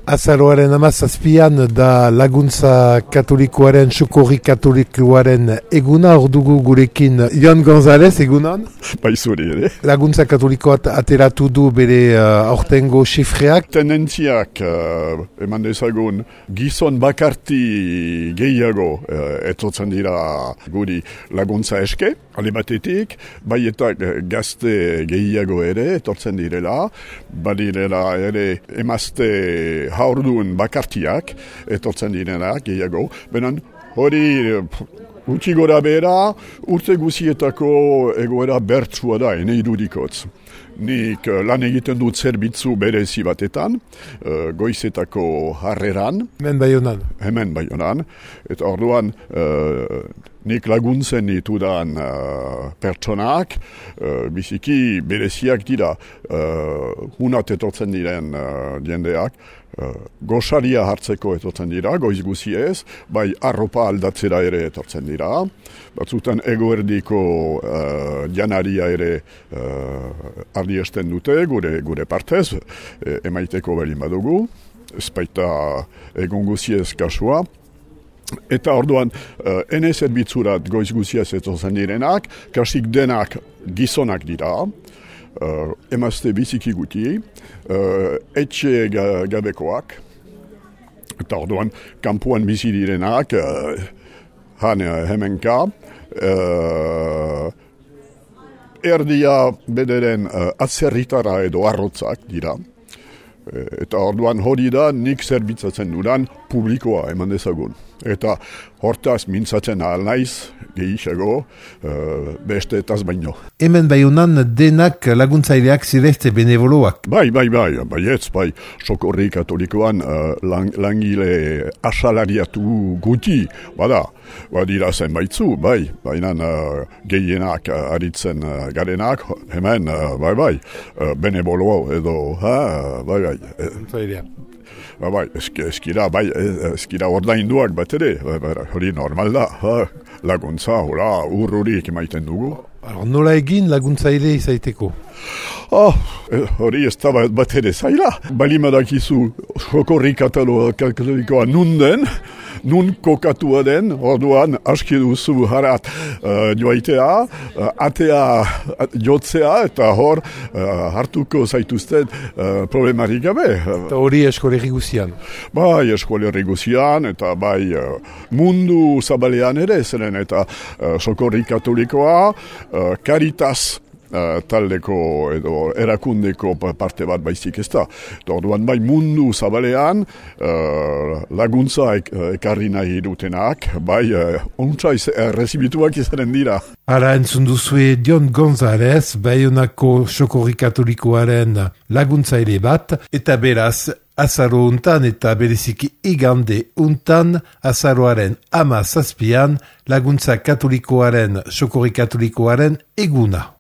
Azaroaren 17an da laguntza katolikoaren, sokorri katolikoaren eguna, hor dugu gurekin Jon González, egunon? Baizuri ere. Laguntza katolikoat ateratu du bere aurtengo xifreak. Tendentziak eman dezagun gizon bakarti gehiago etortzen dira guri laguntza eske, ale batetik, bai eta gazte gehiago ere etortzen direla, badirela ere emazte haurdun bakartiak etortzen direnak gehiago, benen hori utzi gora bera, urte guzietako egoera bertsua da, ene irudikotz. Nik lan egiten dut zerbitzu berezi batetan, goizetako harreran. Hemen Baionan. Eta orduan nik laguntzen ditudan pertsonak, biziki bereziak dira, hunat etortzen diren jendeak, gosaria hartzeko etortzen dira, goiz guziez, bai arropa aldatzera ere etortzen dira, batzutan egoerdiko janaria ere ardiesten dute, gure partez, emaiteko berin badugu, ez baita egon guziez kasua. Eta orduan, ene zerbitzurat goiz guziez etortzen direnak, kasik denak gizonak dira, emazte biziki guti, etxe gabekoak, eta orduan, kanpoan bizi direnak, hemenka, erdia bederen atzerritara edo arrotzak dira. Eta orduan hori da nik zerbitzatzen dudan publikoa eman dezagun. Eta hortaz mintzatzen ahal naiz, gehiago, beste etaz baino. Hemen Baionan denak laguntzaileak zirezte benevoloak. Bai, sokorri katolikoan langile asalariatu guti, badira zenbaitzu, baina gehienak aritzen garenak, hemen, benevolo edo, eskira ordainduak bat ere, hori normal da, laguntza, urrurik emaiten dugu. Nola egin laguntzaile izaiteko? Hori ez da bat ere zaila. Balimadakizu sokorri katolikoa nun kokatua den, orduan aski duzu harat joaitea, atea jotzea, eta hor hartuko zaituzten problemarik gabe. Eta hori eskolerri guzian? Bai, eskolerri guzian, eta bai mundu zabalean ere, zeren eta sokorri katolikoa, Caritas taldeko edo erakundeko parte bat baizik ez da. Orduan bai mundu zabalean laguntza ekarri nahi dutenak, bai ontsa rezibituak izanen dira. Ara entzun duzue Jon González, Baionako sokorri katolikoaren laguntzaile bat, eta beraz, azaro untan eta bereziki igande untan, azaroaren 17an, laguntza katolikoaren, sokorri katolikoaren eguna.